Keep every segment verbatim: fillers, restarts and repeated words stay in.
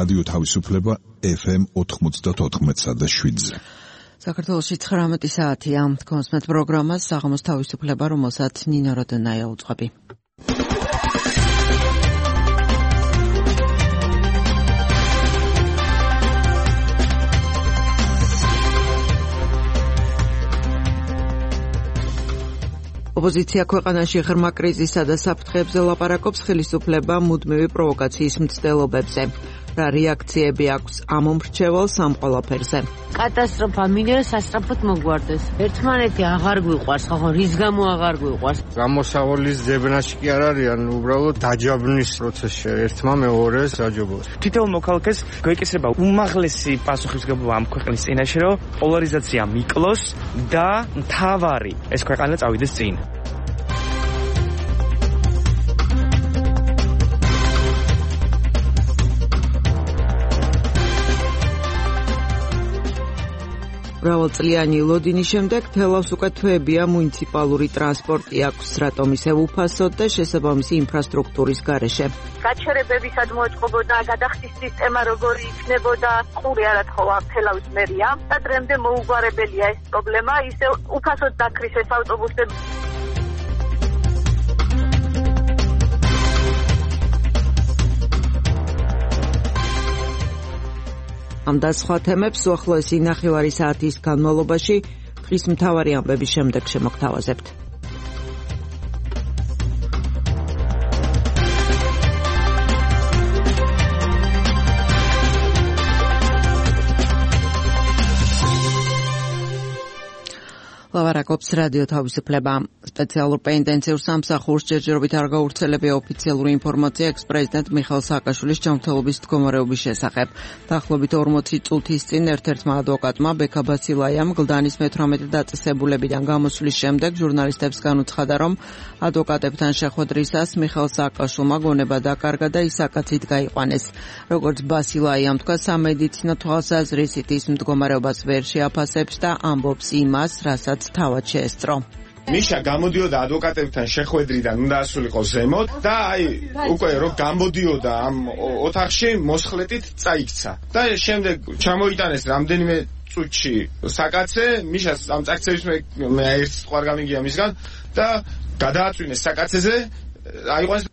რადიო თავისუფლება ეფ ემ ოთხმოცდაოთხ და შვიდზე. საქართველოში ცხრამეტი საათია. კონსმეთ პროგრამას საღამოს თავისუფლება, რომელსაც ნინო როდონაია უძღვები. ოპოზიცია ქვეყანაში ღრმა კრიზისსა და საფრთხეებზე ლაპარაკობს, ხელისუფლება მუდმივი პროვოკაციის მცდელობებზე. რა რეაქციები აქვს ამ მომრჩეველს ამ ყველაფერზე? კატასტროფა მინერა სასწრაფოდ მოგვარდეს. ერთმანეთი აღარ გვიყვარს, ხო, რის გამო აღარ გვიყვარს? გამოსავალის ძებნაში კი არ არიან, უბრალოდ დაჯაბნის პროცესში ერთმა მეორეს დაჯობოს. თითოეულ მოქალაქეს გვეკისრება უმაღლესი პასუხისმგებლობა ამ ქვეყნის წინაშე, რომ პოლარიზაცია მიკლოს და მთავარი ეს ქვეყანა წავიდეს წინ. მრავალწლიანი ლოდინის შემდეგ თელავს უკვე თვეებია მუნიციპალური ტრანსპორტი აქვს, რატომ ისევ უფასოდ და შესაბამისი ინფრასტრუქტურის გარეშე. გაჩერებებისად მოეწყობოდა გადახდის სისტემა როგორი იქნებოდა, ყური არ ათხოვა თელავის მერია და დღემდე მოუგვარებელია ეს პრობლემა, ისევ უფასოდ დაქრის ეს ავტობუსები. ამ და სხვა თემებს უახლოესი ნახევარი საათის განმავლობაში დღის მთავარი ამბების შემდეგ შემოგთავაზებთ. ლაპარაკობს რადიო თავისუფლება. სპეციალურ პენიტენციურ სამსახურს ჯერჯერობით არ გავრცელებია ოფიციალური ინფორმაცია ექს-პრეზიდენტ მიხეილ სააკაშვილის ჯანმრთელობის მდგომარეობის შესახებ. დაახლოებით ორმოცი წუთის წინ ერთ-ერთმა ადვოკატმა ბექა ბასილაიამ გლდანის მეთვრამეტე დაწესებულებიდან გამოსვლის შემდეგ ჟურნალისტებს განუცხადა, რომ ადვოკატებთან შეხვედრისას მიხეილ სააკაშვილმა გონება დაკარგა და ის აკაცით გაიყვანეს. როგორც ბასილაიამ თქვა, სამედიცინო თვალსაზრისით ის მდგომარეობას ვერ შეაფასებს და ამბობს იმას, რასაც თავად შეესწრო. მიშა გამოდიოდა ადვოკატებთან შეხვედრიდან, უნდა ასულიყო ზემოთ და აი უკვე რომ გამოდიოდა ამ ოთახში მოსხლეტით წაიქცა. და შემდეგ ჩამოიტანეს რამდენიმე წუთში საკაცე, მიშას ამ წაქცევის მე ერთ სყვარ გამიგია მისგან და გადააწვინეს საკაცეზე, აიყვანეს.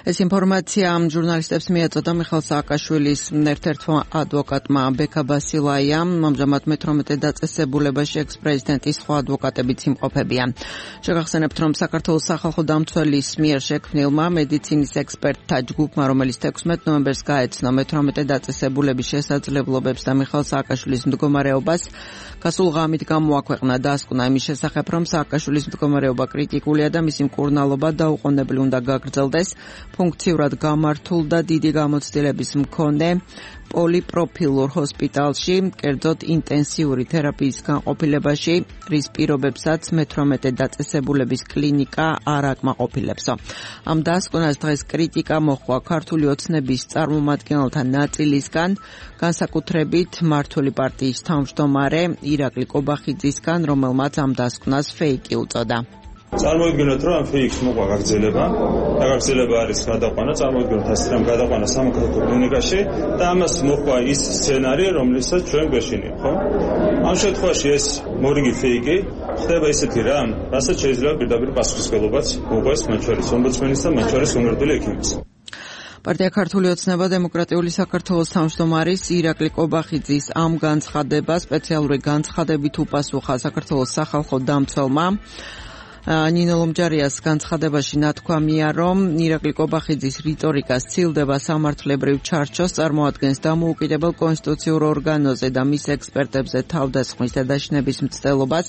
ეს ინფორმაცია ჟურნალისტებს მიაწოდა მიხეილ სააკაშვილის ერთ-ერთმა ადვოკატმა ბექა ბასილაიამ. ამჟამად მეთვრამეტე დაწესებულებაში ექს-პრეზიდენტის სხვა ადვოკატებიც იმყოფებიან. შეგახსენებთ, რომ საქართველოს სახალხო დამცველის მიერ შექმნილმა მედიცინის ექსპერტთა ჯგუფმა, რომელიც თექვსმეტ ნოემბერს გაეცნო მეთვრამეტე დაწესებულების შესაძლებლობებს და მიხეილ სააკაშვილის მდგომარეობას, გასულ ღამით გამოაქვეყნა დასკვნა იმის შესახებ, რომ სააკაშვილის მდგომარეობა კრიტიკულია და მისი მკურნალობა დაუყოვნებლივ უნდა გაგრძელდეს. ფუნქციურად გამართულ და დიდი გამოცდილების მქონე პოლიპროფილურ ჰოსპიტალში, კერძოდ ინტენსიური თერაპიის განყოფილებაში, რის პირობებსაც მეთვრამეტე დაწესებულების კლინიკა არ აკმაყოფილებსო. ამ დასკვნას დღეს კრიტიკა მოჰყვა ქართული ოცნების წარმომადგენელთა ნაწილისგან, განსაკუთრებით მმართველი პარტიის თავმჯდომარე ირაკლი კობახიძისგან, რომელმაც ამ დასკვნას ფეიკი უწოდა. წარმოიდგინოთ, რომ ამ ფეიქს მოყვა გაგრძელება, და გაგრძელება არის გადაყვანა, წარმოიდგინოთ ასე რომ გადაყვანა სამოქალაქო კლინიკაში და ამას მოყვა ის სცენარი, რომლითაც ჩვენ გვეშინია, ხო? ამ შემთხვევაში ეს მორიგი ფეიკი ხდება ისეთი რამ, რასაც შეიძლება პირდაპირ პასუხისმგებლობაც მოყვეს მათ შორის ომბუდსმენის და მათ შორის უნარდული ექიმის. პარტია ქართული ოცნება დემოკრატიული საქართველოს თავმჯდომარის ირაკლი კობახიძის ამ განცხადებას სპეციალური განცხადებით უპასუხა საქართველოს სახალხო დამცველმა. ნინო ლომჯარიას განცხადებაში ნათქვამია, რომ ირაკლი კობახიძის რიტორიკა სცილდება სამართლებრივ ჩარჩოს, წარმოადგენს დამოუკიდებელ კონსტიტუციურ ორგანოზე და მის ექსპერტებზე თავდასხმის და დაშინების მცდელობას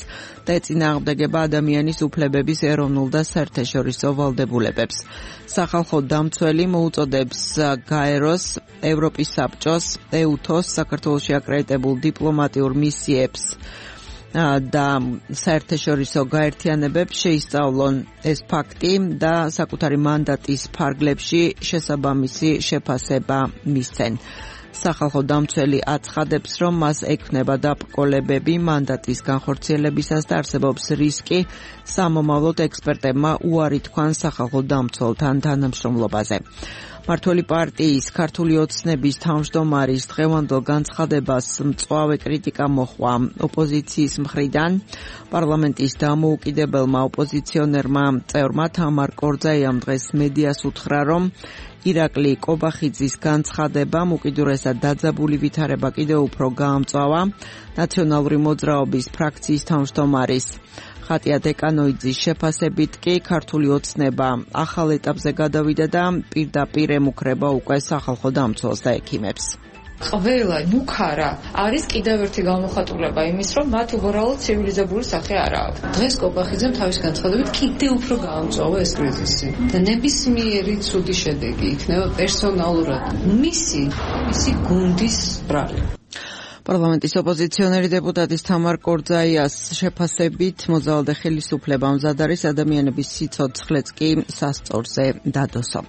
და ეწინააღმდეგება ადამიანის უფლებების ეროვნულ და საერთაშორისო ვალდებულებებს. სახალხო დამცველი მოუწოდებს გაეროს, ევროპის საბჭოს, ეუთოს, საქართველოში აკრედიტებულ დიპლომატიურ მისიებს და საერთაშორისო გაერთიანებებს შეისწავლონ ეს ფაქტი და საკუთარი მანდატის ფარგლებში შესაბამისი შეფასება მისცენ. სახალხო დამცველი აცხადებს, რომ მას ექნება დაბრკოლებები მანდატის განხორციელებისას და არსებობს რისკი სამომავლოდ ექსპერტებმა უარი თქვან სახალხო დამცველთან თანამშრომლობაზე. მართველი პარტიის ქართული ოცნების თავმჯდომარის დღევანდელ განცხადებას მწვავე კრიტიკა მოჰყვა ოპოზიციის მხრიდან. პარლამენტის დამოუკიდებელმა ოპოზიციონერმა წევრმა თამარ კორძაიამ დღეს მედიას უთხრა, რომ ირაკლი კობახიძის განცხადებამ უკიდურესად დაძაბული ვითარება კიდევ უფრო გაამწვავა ნაციონალური მოძრაობის ფრაქციის თავმჯდომარის ხატია დეკანოიძის შეფასებით კი ქართული ოცნება ახალ ეტაპზე გადავიდა და პირდაპირ ემუქრება უკვე სახალხო დამცველს და ექიმებს. ყველა მუქარა არის კიდევ ერთი გამოხატულება იმის, რომ მათ უბრალოდ ცივილიზებული სახე არ აქვს. დღეს კობახიძემ თავის განცხადებით კიდევ უფრო გაამწვავა ეს კრიზისი და ნებისმიერი ცუდი შედეგი იქნება პერსონალურად მისი, მისი გუნდის ბრალი. პარლამენტის ოპოზიციონერი დეპუტატის თამარ კორძაიას შეფასებით მოძალადე ხელისუფლება მზად არის ადამიანების სიცოცხლეც კი სასწორზე დადოსო.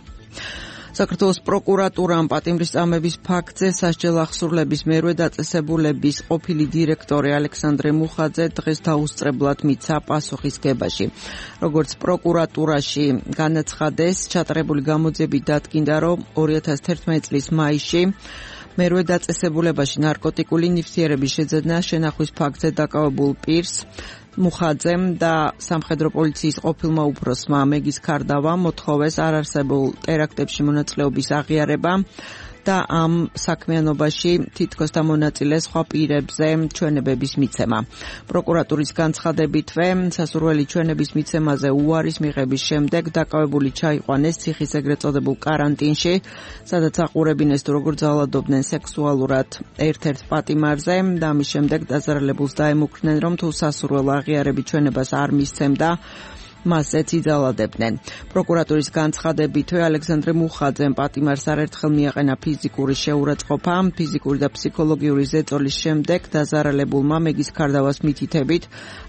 საქართველოს პროკურატურამ პატიმრისწამების ფაქტზე სასჯელ ახსურლების მერვე დაწესებულების ყოფილი დირექტორი ალექსანდრე მუხაძე დღეს დაუსწრებლად მიცა პასუხისგებაში. როგორც პროკურატურაში განაცხადეს, ჩატარებული გამოძიებით დადგინდა, რომ ორი ათას თერთმეტი წლის მაისში მერვე დაწესებულებაში ნარკოტიკული ნივთიერების შეძენა შენახვის ფაქტზე დაკავებულ პირს მუხაძემ და სამხედრო პოლიციის ყოფილმა უფროსმა მეგის ქარდავამ მოთხოვეს არარსებულ ტერაქტებში მონაწილეობის აღიარება და ამ საქმიანობაში თითქოს დამონაწილე სხვა პირებზე ჩვენებების მიცემა. პროკურატურის განცხადებითვე სასურველი ჩვენების მიცემაზე უარის მიღების შემდეგ დაკავებული ჩაიყვანეს ციხის ეგრეთ წოდებულ კარანტინში, სადაც აყურებინეს თუ როგორ ძალადობდნენ სექსუალურად ერთ-ერთ პატიმარზე და ამის შემდეგ დაზარალებულს დაემუქრნენ, რომ თუ სასურველ აღიარების ჩვენებას არ მისცემდა მასეც იძალებდნენ. პროკურატურის განცხადებითვე ალექსანდრე მუხაძემ პატიმარს არაერთხელ მიაყენა ფიზიკური შეურაცხყოფა, ფიზიკური და ფსიქოლოგიური ზეწოლის შემდეგ დაზარალებულმა მეგის ქარდავას მითითებით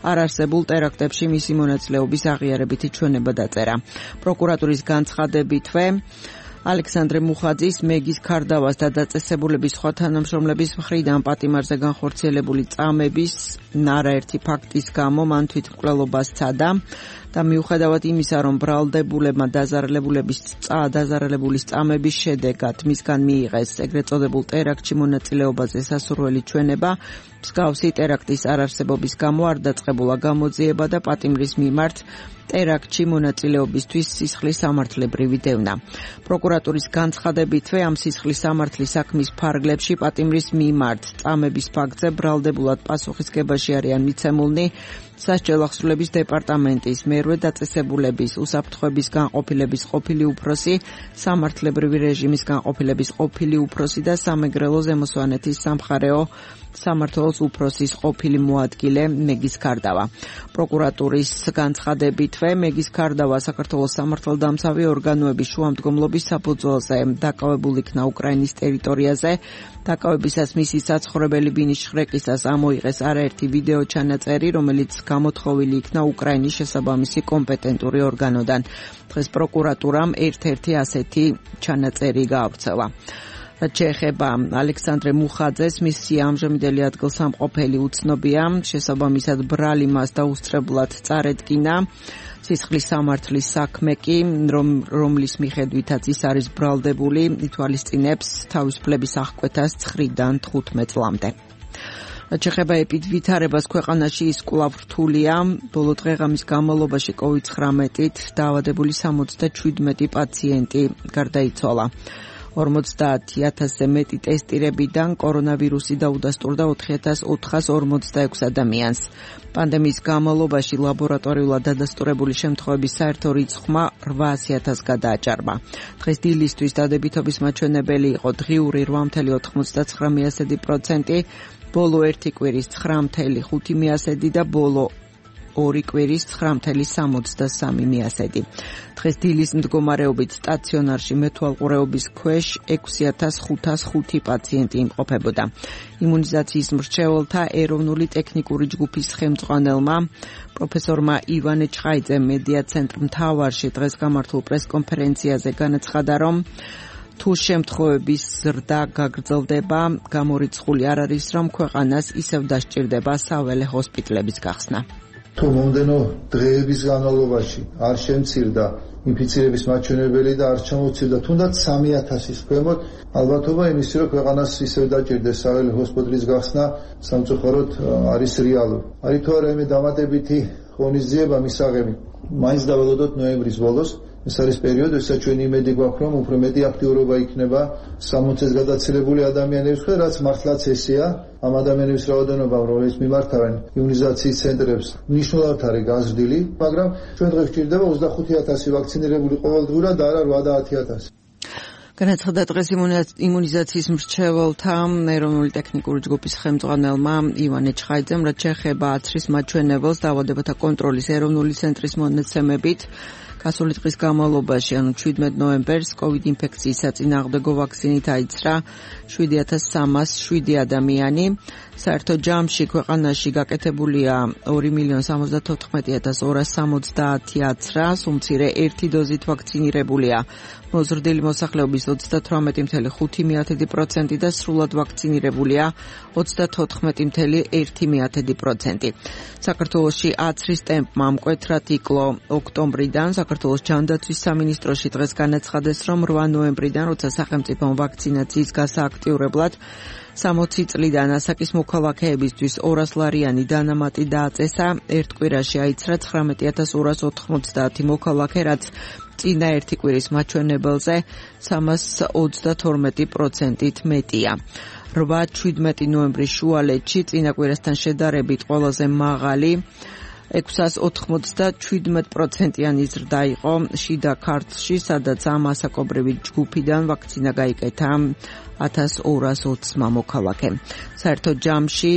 არარსებულ ტერაქტებში მისი მონაწილეობის აღიარებითი ჩვენება დაწერა. პროკურატურის განცხადებითვე ალექსანდრე მუხაძის მეგის ქარდავას და დაწესებულების სხვა თანამშრომლების მხრიდან პატიმარზე განხორციელებული წამების არაერთი ფაქტის გამო მან თვითმკვლელობა სცადა და მიუხედავად იმისა, რომ ბრალდებულებმა დაზარალებულების დაზარალებულის წამების შედეგად მისგან მიიღეს ეგრეთ წოდებულ ტერაქტში მონაწილეობაზე სასურველი ჩვენება, მსგავსი ტერაქტის არარსებობის გამო არ დაწყებულა გამოძიება და პატიმრის მიმართ ტერაქტში მონაწილეობისთვის სისხლის სამართლებრივი დევნა. პროკურატურის განცხადებითვე ამ სისხლის სამართლის საქმის ფარგლებში პატიმრის მიმართ წამების ფაქტზე ბრალდებულად პასუხისგებაში არიან მიცემულნი სასჯელ ახსრულების დეპარტამენტის მერვე დაწესებულების უსაფრთხოების განყოფილების ყოფილი უფროსი, სამართლებრივი რეჟიმის განყოფილების ყოფილი უფროსი და სამეგრელო ზემოსვანეთის სამხარეო სამართლოს უფროსის ყოფილი მოადგილე მეგის ქარდავა. პროკურატურის განცხადებითვე მეგის ქარდავა საქართველოს სამართალდამცავი ორგანოების შუამდგომლობის საფუძველზე დაკავებულ იქნა უკრაინის ტერიტორიაზე. დაკავებისას მისი საცხოვრებელი ბინის შხრეკისას ამოიღეს არაერთი ვიდეო ჩანაწერი, რომელიც გამოთხოვილი იქნა უკრაინის შესაბამისი კომპეტენტური ორგანოდან. დღეს პროკურატურამ ერთ-ერთი ასეთი ჩანაწერი გაავრცელა. რაც შეეხება ალექსანდრე მუხაძეს, მისი ამჟამინდელი ადგილსამყოფელი უცნობია, შესაბამისად ბრალი მას დაუსწრებლად წარედგინა. სისხლის სამართლის საქმე კი, რომ რომლის მიხედვითაც ის არის ბრალდებული, ითვალისწინებს თავისუფლების აღკვეთას ცხრიდან თხუთმეტ წლამდე. რაც შეეხება ეპიდვითარებას ქვეყანაში, ის კვლავ რთულია. ბოლო დღეღამის განმავლობაში კოვიდ ცხრამეტით დაავადებული სამოცდაშვიდმეტი პაციენტი გარდაიცვალა. ორმოცდაათი ათასზე მეტი ტესტირებიდან კორონავირუსი დაუდასტურდა ოთხი ათას ოთხას ორმოცდაექვსი ადამიანს. პანდემიის განმავლობაში ლაბორატორიულად დადასტურებული შემთხვევების საერთო რიცხვმა რვაასი ათასს გადააჭარბა. დღეს დილისთვის დადებითობის მაჩვენებელი იყო დღიური რვა მცდარი ოცდათხმეტ პროცენტი, ბოლო ერთი კვირის ცხრა მცდარი ხუთი პროცენტი და ბოლო ორი კვირის ცხრა მცდარი სამოცდასამი პროცენტი. დღეს დილის მდგომარეობით სტაციონარში მეთვალყურეობის ქვეშ ექვსი ათას ხუთას ხუთი პაციენტი იმყოფებოდა. იმუნიზაციის მრჩეველთა ეროვნული ტექნიკური ჯგუფის ხელმძღვანელმა პროფესორმა ივანე ჩხაიძემ მედია ცენტრ მთავარში დღეს გამართულ პრესკონფერენციაზე განაცხადა, რომ თუ შემთხვევების ზრდა გაგრძელდება, გამორიცხული არ არის, რომ ქვეყანას ისევ დასჭირდება საველე ჰოსპიტლების გახსნა. თუ მომდენო დღეების განმავლობაში არ შემცირდა ინფიცირების მაჩვენებელი და არ ჩამოწირდა თუნდაც სამი ათასის ქვემოთ, ალბათობა იმისი, რომ ქვეყანას ისევ დაჭირდეს საველე ჰოსპიტალის გახსნა სამწუხაროდ არის რეალური. არის თუ არა იმე დამატებითი ღონისძიება მისაღები. მაინც დაველოდოთ ნოემბრის ბოლოს. ეს არის პერიოდი, როდესაც ჩვენი იმედი გვაქვს, რომ უფრო მეტი აქტიურობა იქნება სამოცი წელს გადაცილებული ადამიანების მხრიდან, რაც მართლაც ესეა. ამ ადამიანების რაოდენობა, რომელიც მიმართავენ იმუნიზაციის ცენტრებს, მნიშვნელოვნად არის გაზრდილი, მაგრამ ჩვენ დღეს გვჭირდება ოცდახუთი ათასი ვაქცინირებული ყოველდღურად და არა ოცდაათი ათასი. განაცხადა დღეს იმუნიზაციის მრჩეველთა ეროვნული ტექნიკური ჯგუფის ხელმძღვანელმა ივანე ჩხაიძემ, რაც შეეხება აცრის მაჩვენებელს დაავადებათა კონტროლის ეროვნული ცენტრის მონაცემებით. გასული დღის განმავლობაში, ანუ შვიდმეტ ნოემბერს, COVID ინფექციის საწინააღმდეგო ვაქცინით აიცრა შვიდი ათას სამას შვიდი ადამიანი. საერთო ჯამში ქვეყანაში გაკეთებულია ორი მილიონი სამოცდათოთხმეტი ათას ორას სამოცდაათი აცრა, უმცირე ერთი დოზით ვაქცინირებულია მოზრდილი მოსახლეობის ოცდათვრამეტი წუთი ხუთი პროცენტი და სრულად ვაქცინირებულია ოცდათოთხმეტი წუთი ერთი პროცენტი. საქართველოში აცრის ტემპმა მკვეთრად იკლო ოქტომბრიდან. საქართველოს ჯანდაცვის სამინისტროში დღეს განაცხადეს, რომ რვა ნოემბრიდან, როცა სახელმწიფომ ვაქცინაციის გასააქტიურებლად სამოცი წლიდან ასაკის მოქალაქეებისთვის ორასლარიანი დანამატი დააწესა, ერთ კვირაში აიცრა ცხრამეტი ათას ორას ოთხმოცდაათი მოქალაქე, რაც წინა ერთი კვირის მაჩვენებელზე სამას ოცდათორმეტი პროცენტით მეტია. რვა შვიდმეტი ნოემბრის შუალედში წინა კვირასთან შედარებით ყველაზე მაღალი ექვსას ოთხმოცდაშვიდ პროცენტიანი ზრდა იყო შიდა ქართლში, სადაც ამ ასაკობრივი ჯგუფიდან ვაქცინა გაიკეთა ათას ორას ოცმა მოქალაქემ. საერთო ჯამში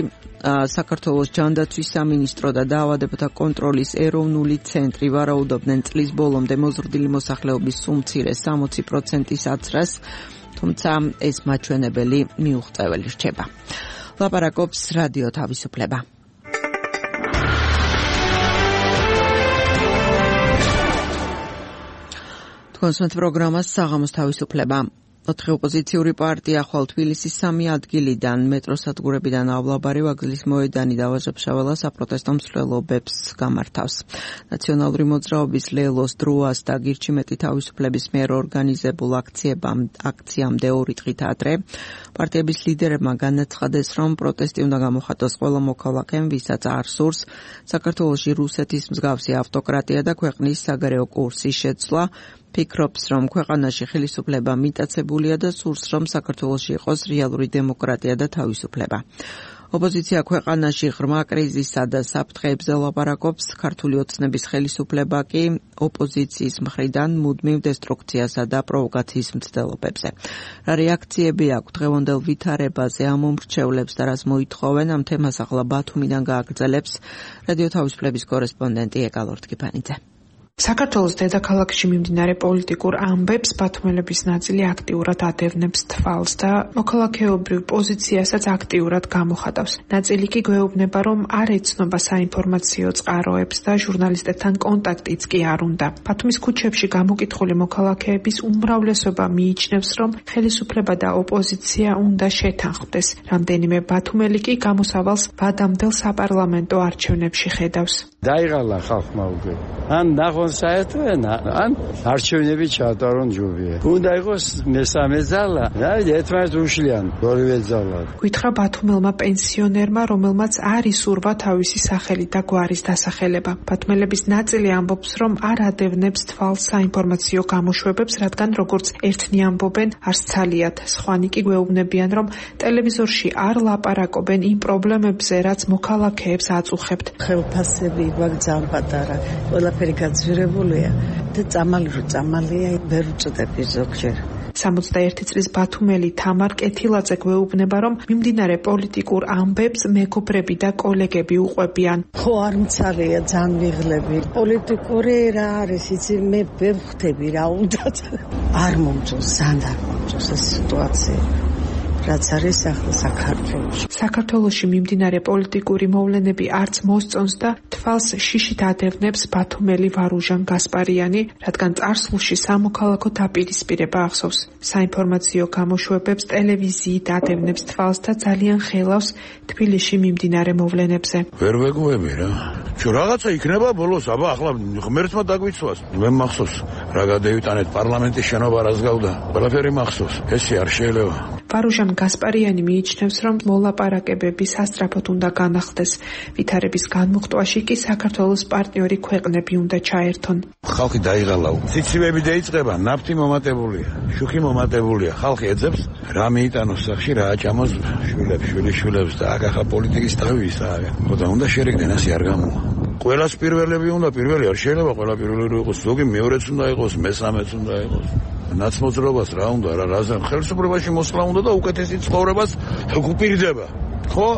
საქართველოს ჯანდაცვის სამინისტრო და დაავადებათა კონტროლის ეროვნული ცენტრი ვარაუდობდნენ წლის ბოლომდე მოზრდილი მოსახლეობის უმცირეს სამოცი პროცენტის აცრას, თუმცა ეს მაჩვენებელი მიუღწეველი რჩება. ლაპარაკობს რადიო თავისუფლება. კონსუმენტ პროგრამას საღამოს თავისუფლება. ოთხი ოპოზიციური პარტია ხვალ თბილისის სამი ადგილიდან მეტროსადგურებიდან ავლაბარი ვაგზლის მოედანი და ვაჟა-ფშაველა საპროტესტო მსვლელობებს გამართავს. ნაციონალური მოძრაობის ლელოს დროას და გირჩი მეტი თავისუფლების მიერ ორგანიზებულ აქციამდე ორი დღით ადრე პარტიების ლიდერებმა განაცხადეს, რომ პროტესტი უნდა გამოხატოს ყველა მოქალაქემ, ვისაც არ სურს საქართველოში რუსეთის მსგავსი ავტოკრატია და ქვეყნის საგარეო კურსის შეცვლა. ფიქრობს, რომ ქვეყანაში ხელისუფლება მიტაცებულია და სურს, რომ საქართველოში იყოს რეალური დემოკრატია და თავისუფლება. ოპოზიცია ქვეყანაში ღრმა კრიზისსა და საფრთხეებზე ლაპარაკობს, ქართული ოცნების ხელისუფლება კი ოპოზიციის მხრიდან მუდმივ დესტრუქციასა და პროვოკაციის მცდელობებზე. რა რეაქციები აქვს დღევანდელ ვითარებაზე ამ უმრჩევლებს და რას მოითხოვენ, ამ თემას ახლა ბათუმიდან გააგრძელებს რადიო თავისუფლების კორესპონდენტი ეკალორ ტკიფანიძე. საქართველოს დედაქალაქში მიმდინარე პოლიტიკურ ამბებს ბათუმელების ნაწილი აქტიურად ადევნებს თვალს და მოქალაქეობრივ პოზიციასაც აქტიურად გამოხატავს. ნაწილი კი გვეუბნება, რომ არ ეცნობა საინფორმაციო წყაროებს და ჟურნალისტებთან კონტაქტიც კი არ უნდა. ბათუმის ქუჩებში გამოკითხული მოქალაქეების უმრავლესობა მიიჩნევს, რომ ხელისუფლება და ოპოზიცია უნდა შეთანხმდეს. რამდენიმე ბათუმელი კი გამოსავალს ვადამდელ საპარლამენტო არჩევნებში ხედავს. დაიღალა ხალხმა უკვე. ან ნახონ საერთო ენა, ან არჩევნები ჩაატარონ ჯობია. უნდა იყოს მესამე ძალა, და ერთმანეთს უშლიან ორივე ძალა. გითხრა ბათუმელმა პენსიონერმა, რომელმაც არ ისურვა თავისი სახელი და გვარის დასახელება. ბათუმელების ნაწილი ამბობს, რომ არ ადევნებს თვალს საინფორმაციო გამოშვებებს, რადგან როგორც ერთნი ამბობენ, არც ცალიათ. სხვანი კი გვეუბნებიან, რომ ტელევიზორში არ ლაპარაკობენ იმ პრობლემებზე, რაც მოქალაქეებს აწუხებთ. ხელფასები გვაგზავნა პატარა, ყველაფერი გაძვირებულია და წამალი რო წამალია, ვერ უწოდები ზოგჯერ. სამოცდაერთი წლის ბათუმელი თამარ კეთილაძე გვეუბნება, რომ მიმდინარე პოლიტიკურ ამბებს მეგობრები და კოლეგები უყვებიან. ხო, არ მცალია, ძალიან ვიღლები. პოლიტიკური რა არის, იცი, მე ვერ ხვდები რა უნდათ. არ მომწონს, ძალიან არ მომწონს ეს სიტუაცია. რაც არის ახლა საქართველოში. საქართველოში მიმდინარე პოლიტიკური მოვლენები არც მოსწონს და თვალს შიშით ადევნებს ბათუმელი ვარუჟან გასპარიანი, რადგან წარსულში სამოქალაქო დაპირისპირება ახსოვს. საინფორმაციო გამოშვებებს ტელევიზიით ადევნებს თვალს და ძალიან ხელავს თბილისში მიმდინარე მოვლენებზე. ვერ ვეგუები რა. ჩუ რაღაცა იქნება ბოლოს, აბა ახლა ღმერთმა დაგვიცვას. მე მახსოვს რა გადავიტანეთ პარლამენტის შენობა რას გავდა. ყველაფერი მახსოვს. ესე არ შეიძლება. ვარუჟან გასპარიანი მიიჩნევს, რომ მოლაპარაკებები სასწრაფოდ უნდა განახლდეს. ვითარების განმუხტვაში კი საქართველოს პარტნიორი ქვეყნები უნდა ჩაერთონ. ხალხი დაიღალა. ციცივები დაიწყება, ნაფტი მომატებულია, შუქი მომატებულია. ხალხი ეძებს რა მიიტანოს სახში, რა აჭამოს შვილებს, შვილიშვილებს და აქ ახლა პოლიტიკის თავი ისაა. ხოდა უნდა შერიგდნენ, ასე არ გამოვა. ყველას პირველები უნდა, პირველი არ შეიძლება ყველა პირველი იყოს, ზოგი მეორეც უნდა იყოს, მესამეც უნდა იყოს. ნაცმოძრაობას რა უნდა, რა რაზე ხელისუფლებაში მოსვლა უნდა და უკეთესი ცხოვრებას გვპირდება. ხო?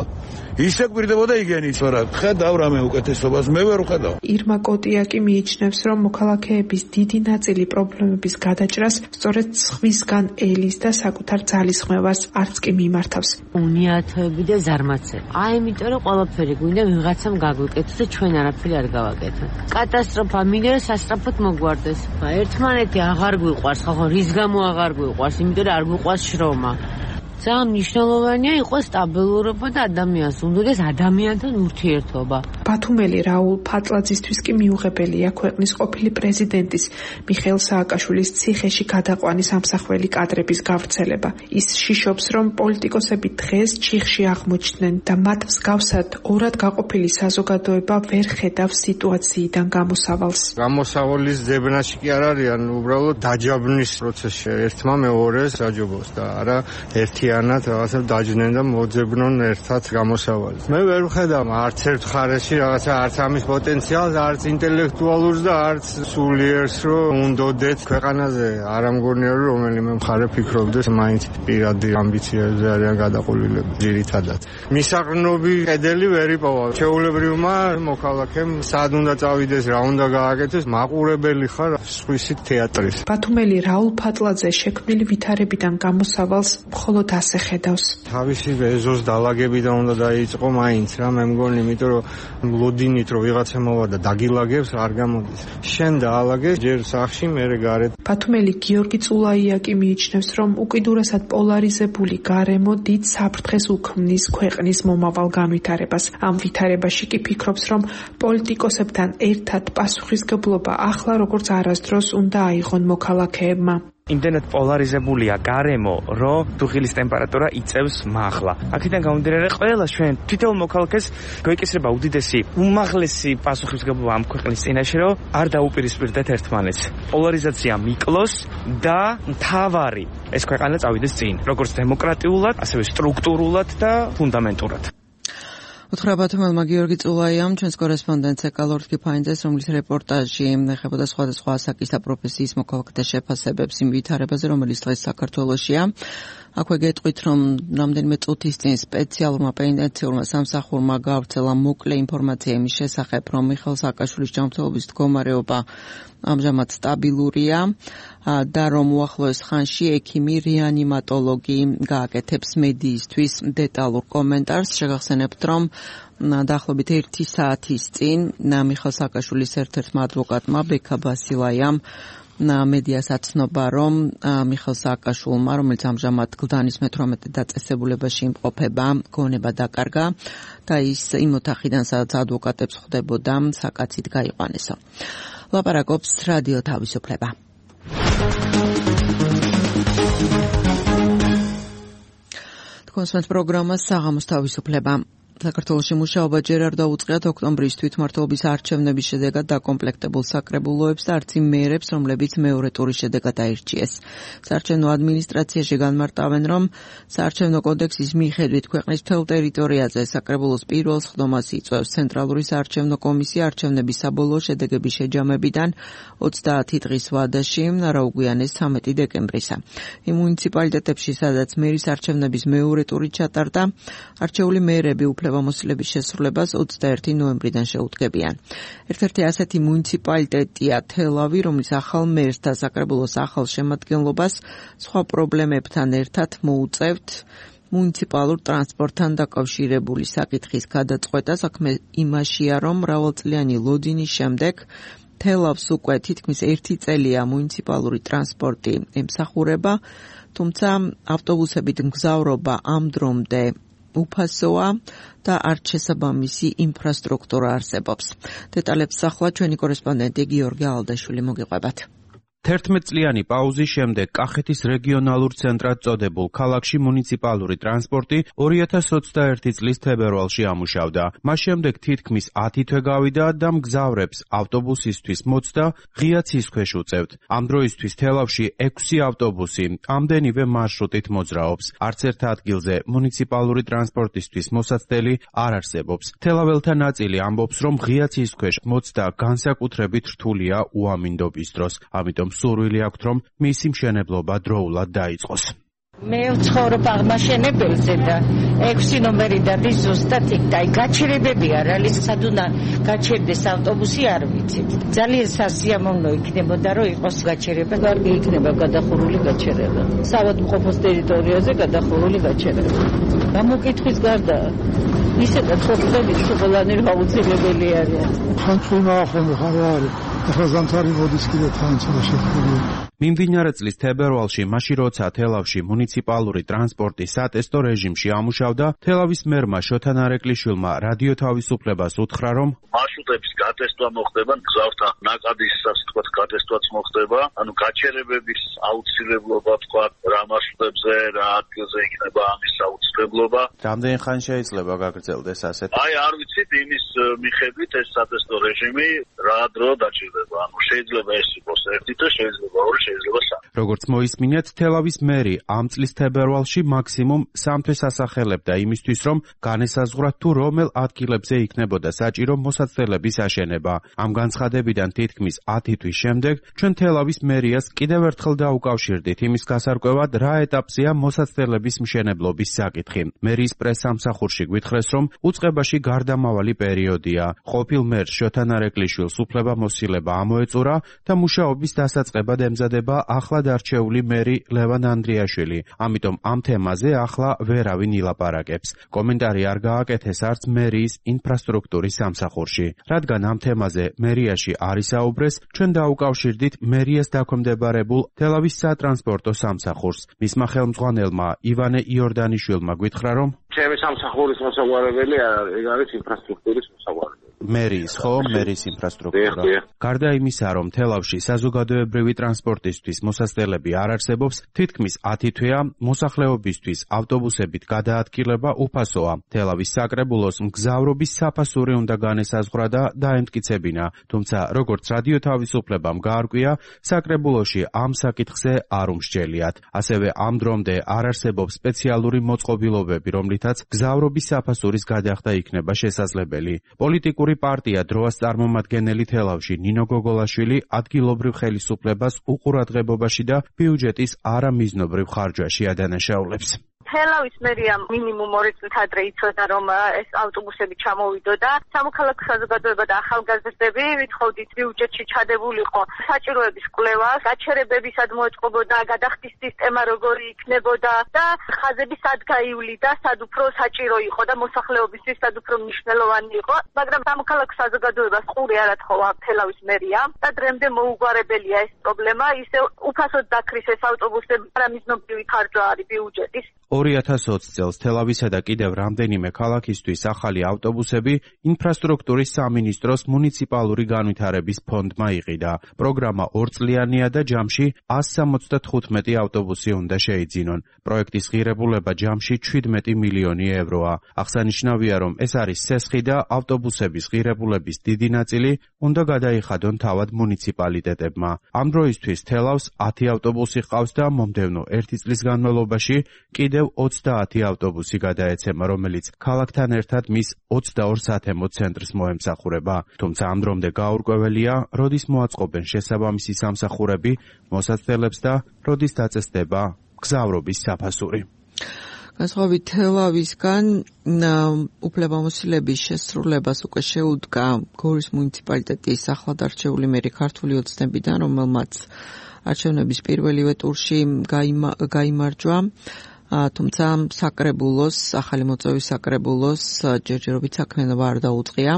ისე გვპირდებოდა იგენიც, მაგრამ ხედავ რამე უკეთესობას მე ვერ ვხედავ. ირმა კოტიაკი მიიჩნევს, რომ მოქალაქეების დიდი ნაწილი პრობლემების გადაჭრას სწორედ სხვისგან ელის და საკუთარ ძალისხმევას არც კი მიმართავს. უნიათოები და ზარმაცები. აი, იმიტომ რომ ყველაფერი გვინდა ვიღაცამ გაგვიკეთოს და ჩვენ არაფერი არ გავაკეთოთ. კატასტროფა მინდა სასწრაფოდ მოგვარდეს. ერთმანეთი აღარ გვიყვარს, ხო, რის გამო აღარ გვიყვარს? იმიტომ რომ არ გვიყვარს შრომა. ძალიან მნიშვნელოვანია იყოს სტაბილურობა და ადამიანს უნდადეს ადამიანთან ურთიერთობა. ბათუმელი რაულ ფატლაძისთვის კი მიუღებელია ქვეყნის ყოფილი პრეზიდენტის მიხეილ სააკაშვილის ციხეში გადაყვანის ამსახველი კადრების გავრცელება. ის შიშობს, რომ პოლიტიკოსები დღეს ჩიხში აღმოჩნდნენ და მათ მსგავსად ორად გაყოფილი საზოგადოება ვერ ხედავს სიტუაციიდან გამოსავალს. გამოსავლის ძებნაში კი არ არიან, უბრალოდ დაჯაბნის პროცესში ერთმა მეორეს აჯობოს და არა ერთი ანათ რაღაცა დაჯდნენ და მოძებნონ ერთად გამოსავალს. მე ვერ ვხედავ არც ერთ ხარეში რაღაცა არც ამის პოტენციალს, არც ინტელექტუალურს და არც სულიერს, რომ უნდოდეთ ქვეყანაზე. არ ამგონია რომ რომელიმე მხარე ფიქრობდეს მაინც პირადი ამბიციებზე არიან გადაყოლილები ძირითადად. მისაღრმობი კედელი ვერ იპოვა. ჩვეულებრივმა მოქალაქემ სად უნდა წავიდეს, რა უნდა გააკეთოს, მაყურებელი ხარ სხვისი თეატრის. ბათუმელი რაულ ფატლაძე შექმნილი ვითარებიდან გამოსავალს მხოლოდ ასე ხედავს. თავისი ეზოს დალაგებიდან უნდა დაიწყო მაინც რა, მე მგონი, იმიტომ რომ ლოდინით რომ ვიღაცა მოვა და დაგილაგებს არ გამოდის. შენ დაალაგე ჯერ სახში, მერე გარეთ. ბათუმელი გიორგი წულაიაკი მიიჩნევს, რომ უკიდურესად პოლარიზებული გარემო დიდ საფრთხეს უქმნის ქვეყნის მომავალ განვითარებას. ამ ვითარებაში კი ფიქრობს, რომ პოლიტიკოსებთან ერთად პასუხისგებლობა ახლა როგორც არასდროს უნდა აიღონ მოქალაქეებმა. იმდენად პოლარიზებულია გარემო, რომ დუღილის ტემპერატურა იწევს მაღლა. აქედან გამომდინარე, ყველა ჩვენ თითოეულ მოქალაქეს გვეკისრება უდიდესი უმაღლესი პასუხისმგებლობა ამ ქვეყნის წინაშე, რომ არ დაუპირისპირდეთ ერთმანეთს. პოლარიზაცია მიკლოს და მთავარი ეს ქვეყანა წავიდეს წინ, როგორც დემოკრატიულად, ასევე სტრუქტურულად და ფუნდამენტურად. უთხრა ბათუმელმა გიორგი წულაიამ, ჩვენს კორესპონდენტს ეკალორდ კიფაინძეს, რომლის რეპორტაჟი ეხებოდა სხვადასხვა ასაკის და პროფესიის მოქალაქეთა შეფასებებს იმ ვითარებაზე, რომელიც დღეს საქართველოშია. აქვე გეტყვით, რომ რამდენიმე წუთის წინ სპეციალურმა პენიტენციურმა სამსახურმა გავრცელა მოკლე ინფორმაცია იმის შესახებ, რომ მიხეილ სააკაშვილის ჯანმრთელობის მდგომარეობა ამჟამად სტაბილურია და რომ უახლოეს ხანში ექიმი რეანიმატოლოგი გააკეთებს მედიისთვის დეტალურ კომენტარს. შეგახსენებთ, რომ დაახლოებით ერთი საათის წინ მიხეილ სააკაშვილის ერთ-ერთმა ადვოკატმა ბექა ბასილაიამ მედიას აცნობა, რომ მიხეილ სააკაშვილმა, რომელიც ამჟამად გლდანის მეთვრამეტე დაწესებულებაში იმყოფება, გონება დაკარგა და ის იმ ოთახიდან, სადაც ადვოკატებს ხვდებოდა, საკაცით გაიყვანესო. ლაპარაკობს რადიო თავისუფლება. თქვენს პროგრამას საღამოს თავისუფლება. საქართველოში მუშაობა ჯერ არ დაუწყიათ ოქტომბრის თვითმმართველობის არჩევნების შედეგად დაკომპლექტებულ საკრებულოებს და არც იმ მეერებს, რომლებიც მეორე ტურის შედეგად აირჩიეს. საარჩევნო ადმინისტრაციაში განმარტავენ, რომ საარჩევნო კოდექსის მიხედვით ქვეყნის მთელ ტერიტორიაზე საკრებულოს პირველ სხდომას იწვევს ცენტრალური საარჩევნო კომისია არჩევნების საბოლოო შედეგების შეჯამებიდან ოცდაათი დღის ვადაში, რა უგვიანეს ცამეტი დეკემბრისა. იმ მუნიციპალიტეტებში, სადაც მერის არჩევნების მეორე ტური ჩატარდა, არჩეული მეერები უფლებამოსილების შესრულებას ოცდაერთი ნოემბრიდან შეუდგებიან. ერთ-ერთი ასეთი მუნიციპალიტეტია თელავი, რომლის ახალ მერს და საკრებულოს ახალ შემადგენლობას სხვა პრობლემებთან ერთად მოუწევთ მუნიციპალურ ტრანსპორტთან დაკავშირებული საკითხის გადაწყვეტა. საქმე იმაშია, რომ მრავალწლიანი ლოდინის შემდეგ თელავს უკვე თითქმის ერთი წელია მუნიციპალური ტრანსპორტი ემსახურება, თუმცა ავტობუსებით მგზავრობა ამ დრომდე უფასოა და არც შესაბამისი ინფრასტრუქტურა არსებობს. დეტალებს ახლა ჩვენი კორესპონდენტი გიორგი ალდაშვილი მოგიყვებათ. თერთმეტწლიანი პაუზის შემდეგ კახეთის რეგიონალურ ცენტრად წოდებულ ქალაქში მუნიციპალური ტრანსპორტი ორი ათას ოცდაერთი წლის თებერვალში ამუშავდა. მას შემდეგ თითქმის ათი თვე გავიდა და მგზავრებს ავტობუსისთვის მოცდა ღია ცის ქვეშ უწევთ. ამ დროისთვის თელავში ექვსი ავტობუსი ამდენივე მარშრუტით მოძრაობს. არც ერთ ადგილზე მუნიციპალური ტრანსპორტისთვის მოსაცდელი არ არსებობს. თელაველთა ნაწილი ამბობს, რომ ღია ცის ქვეშ მოცდა განსაკუთრებით რთულია უამინდობის დროს. ამიტომ სურვილი აქვთ, რომ მისი მშენებლობა დროულად დაიწყოს. მე ვცხოვრობ აღმაშენებელზე და ექვსი ნომერი დადის ზუსტად იქ და გაჩერებები არ არის, სად უნდა გაჩერდეს ავტობუსი არ ვიცით. ძალიან სასიამოვნო იქნებოდა, რომ იყოს გაჩერება, კარგი იქნება გადახურული გაჩერება. საავადმყოფოს ტერიტორიაზე გადახურული გაჩერება. გამოკითხვის გარდა ისედაც ხოხდებით ყველანი აუცილებელი არის. ხანწუნა ახლა ხარ არის. ახლა ზამთარი მოდის კიდე თან შეხვედრა. მიმდინარე წლის თებერვალში, მაშინ როცა თელავში მუნიციპალური ტრანსპორტი სატესტო რეჟიმში ამუშავდა, თელავის მერმა შოთა ნარეკლიშვილმა რადიო თავისუფლებას უთხრა, რომ მარშრუტების გატესტვა მოხდება, მგზავრთა ნაკადის სასტიკად გატესტვაც მოხდება, ანუ გაჩერებების აუცილებლობა თქვა რა მარშრუტებზე, რა ადგილზე იქნება ამის აუცილებლობა. რამდენი ხანი შეიძლება გაგრძელდეს ასეთ? აი არ ვიცით იმის მიხედვით ეს სატესტო რეჟიმი რა დრო დაჭირდება, ანუ შეიძლება ეს იყოს ერთი თვე, შეიძლება ორი, შეიძლება სამი. როგორც მოისმინეთ, თელავის მერი ამ წლის თებერვალში მაქსიმუმ სამ თვეს ასახელებდა იმისთვის, რომ განესაზღვრა თუ რომელ ადგილებზე იქნებოდა საჭირო მოსაცდელების აშენება. ამ განცხადებიდან თითქმის ათი თვის შემდეგ ჩვენ თელავის მერიას კიდევ ერთხელ დაუკავშირდით იმის გასარკვევად, რა ეტაპზეა მოსაცდელების მშენებლობის საკითხი. მერიის პრესსამსახურში გვითხრეს, რომ უწყებაში გარდამავალი პერიოდია. ყოფილ მერს შოთა ნარეკლიშვილს უფლებამოსილება ამოეწურა და მუშაობის დასაწყებად ემზადება ახლად არჩეული მერი ლევან ანდრიაშვილი. ამიტომ ამ თემაზე ახლა ვერავინ ილაპარაკებს. კომენტარი არ გააკეთეს არც მერიის ინფრასტრუქტურის სამსახურში. რადგან ამ თემაზე მერიაში არ ისაუბრეს, ჩვენ დაუკავშირდით მერიას დაქვემდებარებულ თელავის სატრანსპორტო სამსახურს. მისმა ხელმძღვანელმა ივანე იორდანიშვილმა გვითხრა, რომ ჩემი სამსახურის მოსაგვარებელი არ არის, ეგ არის ინფრასტრუქტურის მოსაგვარებელი. მერიის, ხო, მერიის ინფრასტრუქტურა. გარდა იმისა, რომ თელავში საზოგადოებრივი ტრანსპორტისთვის მოსაცდელები არ არსებობს, თითქმის ათი თვეა მოსახლეობისთვის ავტობუსებით გადაადგილება უფასოა. თელავის საკრებულოს მგზავრობის საფასური უნდა განესაზღვრა და დაემტკიცებინა, თუმცა როგორც რადიო თავისუფლებამ გაარკვია, საკრებულოში ამ საკითხზე არ უმსჯელიათ. ასევე ამ დრომდე არ არსებობს სპეციალური მოწყობილობები, რომლითაც გზავრობის საფასურის გადახდა იქნება შესაძლებელი. პოლიტიკური პარტია დროას წარმომადგენელი თელავში ნინო გოგოლაშვილი ადგილობრივ ხელისუფლებას უყურადღებობაში და ბიუჯეტის არამიზნობრივ ხარჯვაში ადანაშაულებს. თელავის მერია მინიმუმ ორი წლით ადრე იცოდა, რომ ეს ავტობუსები ჩამოვიდოდა. სამოქალაქო საზოგადოება და ახალგაზრდები ვითხოვდით ბიუჯეტში ჩადებულიყო საჭიროების კვლევა, გაჩერებებისად მოეწყობოდა, გადახდის სისტემა როგორი იქნებოდა და ხაზები სად გაივლიდა, სად უფრო საჭირო იყო და მოსახლეობისთვის სად უფრო მნიშვნელოვანი იყო. მაგრამ სამოქალაქო საზოგადოებას ყური არ ათხოვა თელავის მერია და დრემდე მოუგვარებელია ეს პრობლემა. ისე უფასოდ დაქრის ეს ავტობუსები, არამიზნობრივი ხარჯვა არის ბიუჯეტის. ორი ათას ოცი წელს თელავისა და კიდევ რამდენიმე ქალაქისთვის ახალი ავტობუსები ინფრასტრუქტურის სამინისტროს მუნიციპალური განვითარების ფონდმა იყიდა. პროგრამა ორწლიანია და ჯამში ასი სამოცდათხუთმეტი ავტობუსი უნდა შეიძინონ. პროექტის ღირებულება ჯამში შვიდმეტი მილიონი ევროა. აღსანიშნავია, რომ ეს არის სესხი და ავტობუსების ღირებულების დიდი ნაწილი უნდა გადაიხადონ თავად მუნიციპალიტეტებმა. ამ დროისთვის თელავს ათი ავტობუსი ჰყავს და მომდევნო ერთი წლის განმავლობაში კიდევ ოცდაათი ავტობუსი გადაეცემა, რომელიც ქალაქთან ერთად მის ოცდაორ სათემო ცენტრს მოემსახურება. თუმცა ამ დრომდე გაურკვეველია, როდის მოაწყობენ შესაბამისი სამსახურები მოსაცდელებს და როდის დაწესდება გზავრობის საფასური. განსხვავებით თელავისგან უფლებამოსილების შესრულებას უკვე შეუდგა გორის მუნიციპალიტეტის ახლად არჩეული მერი ქართული ოცნებიდან, რომელმაც არჩევნების პირველივე ტურში გაიმარჯვა. თუმცა საკრებულოს, ახალი მოწვევის საკრებულოს ჯერჯერობით საქმიანობა არ დაუწყია.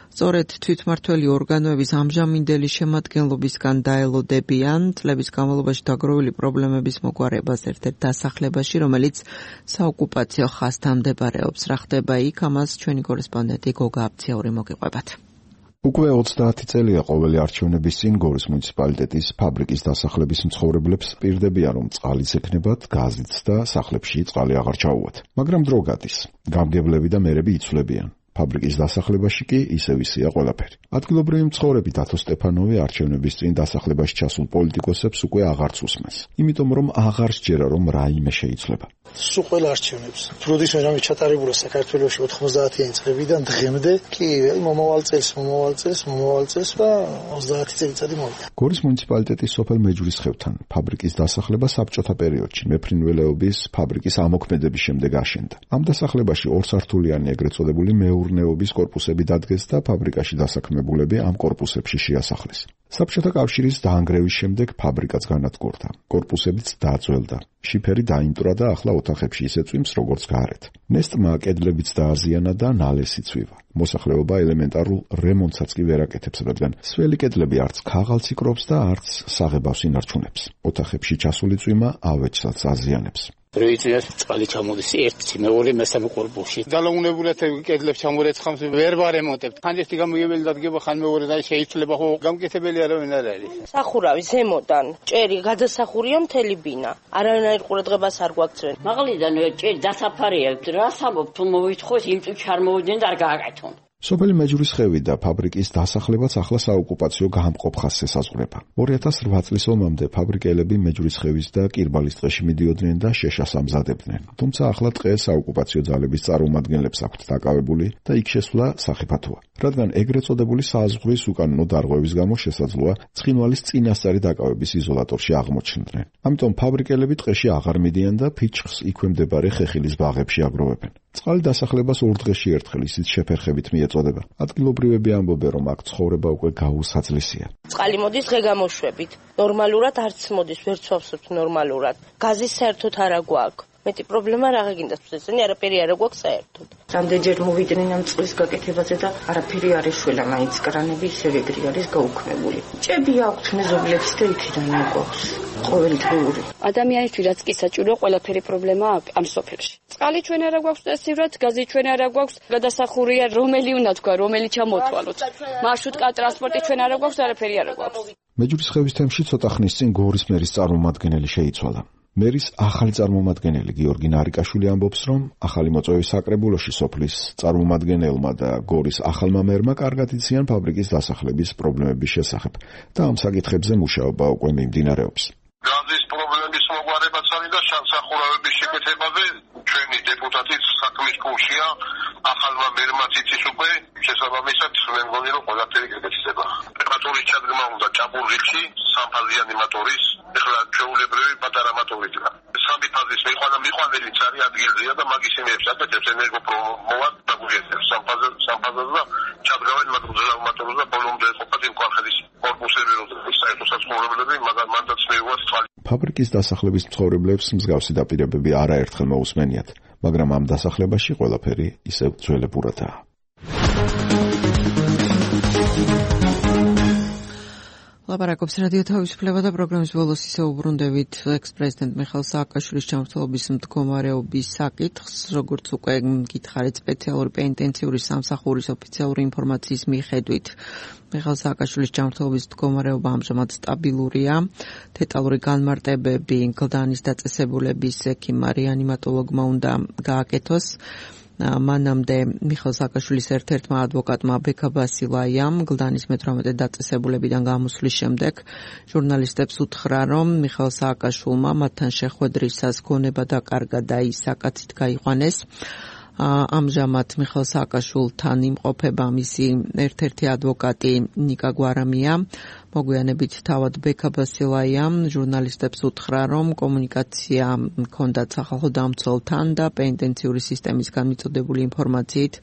სწორედ თვითმმართველი ორგანოების ამჟამინდელი შემადგენლობისგან დაელოდებიან წლების განმავლობაში დაგროვილი პრობლემების მოგვარებას ერთ-ერთ დასახლებაში, რომელიც საოკუპაციო ხაზთან მდებარეობს. რა ხდება იქ, ამას ჩვენი კორესპონდენტი გოგა აბციური მოგიყვებათ. უკვე ოცდაათი წელია ყოველი არჩევნების წინ გორის მუნიციპალიტეტის ფაბრიკის დასახლების მცხოვრებლებს პირდებიან, რომ წყალიც ექნებათ, გაზიც და სახლებში წყალი აღარ ჩაუვათ. მაგრამ დრო გადის. გამგებლები და მერები იცვლებიან. ფაბრიკის დასახლებაში კი ისევ ისეა ყველაფერი. ადგილობრივი მცხოვრები დათო სტეფანოვი არჩევნების წინ დასახლებაში ჩასულ პოლიტიკოსებს უკვე აღარც უსმენს. იმიტომ რომ აღარ სჯერა რომ რაიმე შეიცვლება. სულ ყველა არჩევნებს. როდესაც რამე ჩატარებულა საქართველოში ოთხმოცდაათიანი წლებიდან დღემდე, კი მომავალ წელს, მომავალ წელს, მომავალ წელს და ოცდაათი წელიწადი მოვიდა. გორის მუნიციპალიტეტის სოფელ მეჯვრისხევთან ფაბრიკის დასახლება საბჭოთა პერიოდში მეფრინველეობის ფაბრიკის ამოქმედების შემდეგ აშენდა. ამ დასახლებაში ორსართულიანი ეგრეთ წოდებული მეურნეობის კორპუსები დადგეს და ფაბრიკაში დასაქმებულები ამ კორპუსებში შეასახლეს. საბჭოთა კავშირის დაანგრევის შემდეგ ფაბრიკაც განადგურდა. კორპუსებიც დაძველდა. შიფერი დაიმტრა და ახლა ოთახებში ისე წვიმს როგორც გარეთ. ნესტმა კედლებიც დააზიანა და ნალესი წვივა. მოსახლეობა ელემენტარულ რემონტსაც კი ვერ აკეთებს, რადგან სველი კედლები არც ქაღალდს იკრობს და არც საღებავს ინარჩუნებს. ოთახებში ჩასული წვიმა ავეჯსაც აზიანებს. როიცინას წყალი ჩამოდის ერთი მეორე მესამე კორპუსში. დალაუნებულად კედლებს ჩამორეცხამს ვერ ვარემონტებთ. ხან ერთი გამოგებელი დადგება, ხან მეორე და შეიცვლება, ხო გამკეთებელი არავინ არ არის. სახურავი ზემოდან ჭერი გადასახურია მთელი ბინა. არავინაირ ყურადღებას არ გვაქცევენ. მაღლიდან ჭერი დასაფარია. რა საბობ თუ მოვითხოვს იმ წუთში არ მოვიდნენ და არ გააკეთონ. სოფელი მეჯვრისხევი და ფაბრიკის დასახლებაც ახლა საოკუპაციო გამყოფ ხაზს ესაზღვრება. ორი ათას რვა წლის ომამდე ფაბრიკელები მეჯვრისხევის და კირბალის ტყეში მიდიოდნენ და შეშას ამზადებდნენ. თუმცა ახლა ტყე საოკუპაციო ძალების წარმომადგენლებს აქვთ დაკავებული და იქ შესვლა სახიფათოა. რადგან ეგრეთ წოდებული საზღვრის უკანონო დარღვევის გამო შესაძლოა ცხინვალის წინასწარი დაკავების იზოლატორში აღმოჩნდნენ. ამიტომ ფაბრიკელები ტყეში აღარ მიდიან და ფიჩხს იქვე მდებარე ხეხილის ბაღებში აგროვებენ. წყალი დასახლებას ორ დღეში ერთხელ ისიც შეფერხებით მიეწოდება. ადგილობრივები ამბობენ, რომ აქ ცხოვრება უკვე გაუსაძლისია. წყალი მოდის დღე გამოშვებით. ნორმალურად არც მოდის, ვერ ცვავსობთ ნორმალურად. გაზი საერთოდ არ აგვაქვს. მეტი პრობლემა რა გინდა წესენი არაფერი არ აგვაქვს საერთოდ. რამდენჯერ მოვიდნენ ამ წყლის გაკეთებაზე და არაფერი არ ეშველა, მაინც კრანები ისევ ეგრე არის გაუქმებული. ჭები აქვთ მეზობლებს და იქიდან აგვაქვს. ყოველდღიური. ადამიანისთვის რაც კი საჭიროა, ყველაფერი პრობლემაა ამ სოფელში. წყალი ჩვენ არ აგვაქვს წესივრად, გაზი ჩვენ არ აგვაქვს, გადასახურია რომელი უნდა თქვა, რომელი ჩამოთვალოთ. მარშრუტკა ტრანსპორტი ჩვენ არ აგვაქვს, არაფერი არ აგვაქვს. მეჯვრისხევის თემში ცოტა ხნის წინ გორის მერის წარმომადგენელი შეიცვალა. მერის ახალი წარმომადგენელი გიორგი ნარიკაშვილი ამბობს, რომ ახალი მოწვევის საკრებულოში სოფლის წარმომადგენელმა და გორის ახალმა მერმა კარგად იციან ფაბრიკის დასახლების პრობლემების შესახებ და ამ საკითხებზე მუშაობა უკვე მიმდინარეობს. გაზის პრობლემის მოგვარებაც არის და სახურავების შეკეთებაზე ჩვენი დეპუტატის საქმის გულშია. ახალმა მერმაც იცის უკვე, შესაბამისად მე მგონი რომ ყველაფერი გეკეთება. პეტრატურის ჩადგმა უნდა ჭაბურღილში სამფაზიანი მოტორის, ეხლა ჩვეულებრივი პატარა მოტორია. სამი ფაზის მიყვანა მიყვანელიც არის ადგილზეა და მაგის იმებს აკეთებს ენერგოპრომოვად დაგუგეთებს სამფაზ სამფაზას და ჩადგავენ მაგძალ მოტორს და ბოლომდე ყოფათ იმ კვალხეთის კორპუსები რომ საერთო საცხოვრებლები მაგან მანდაც მეუღას წყალი. ფაბრიკის დასახლების მცხოვრებლებს მსგავსი დაპირებები არაერთხელ მოусმენიათ, მაგრამ ამ დასახლებაში ყველაფერი ისევ ძველებურადაა. ლაპარაკობს რადიო თავისუფლება და პროგრამის ბოლოს ისევ უბრუნდებით ექს-პრეზიდენტ მიხეილ სააკაშვილის ჯანმრთელობის მდგომარეობის საკითხს, როგორც უკვე გითხარით, სპეციალური პენიტენციური სამსახურის ოფიციალური ინფორმაციის მიხედვით მიხეილ სააკაშვილის ჯანმრთელობის მდგომარეობა ამჟამად სტაბილურია. დეტალური განმარტებები გლდანის დაწესებულების ექიმმა რეანიმატოლოგმა უნდა გააკეთოს. მანამდე მიხეილ სააკაშვილის ერთ-ერთმა ადვოკატმა ბექა ბასილაიამ გლდანის მეთვრამეტე დაწესებულებიდან გამოსვლის შემდეგ ჟურნალისტებს უთხრა, რომ მიხეილ სააკაშვილმა მათთან შეხვედრისას გონება დაკარგა და ის საკაცით გაიყვანეს. ამჟამად მიხეილ სააკაშვილთან იმყოფება მისი ერთ-ერთი ადვოკატი ნიკა გვარამია. მოგვიანებით თავად ბექა ბასილაიამ ჟურნალისტებს უთხრა, რომ კომუნიკაცია ჰქონდათ სახალხო დამცველთან და პენიტენციური სისტემისგან მიწოდებული ინფორმაციით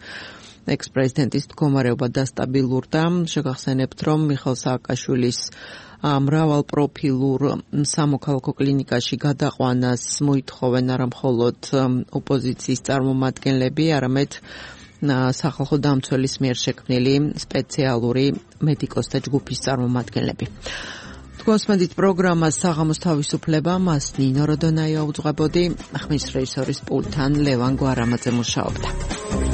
ექს-პრეზიდენტის მდგომარეობა დასტაბილურდა. შეგახსენებთ, რომ მიხეილ სააკაშვილის მრავალპროფილურ სამოქალაქო კლინიკაში გადაყვანას მოითხოვენ არა მხოლოდ ოპოზიციის წარმომადგენლები, არამედ სახალხო დამცველის მიერ შექმნილი სპეციალური მედიკოსთა ჯგუფის წარმომადგენლები. თქვენსმენდით პროგრამას საღამოს თავისუფლება, მას ნინო როდონაია უძღვებოდი, ხმის რეჟისორის პულტთან ლევან გვარამაძე მუშაობდა.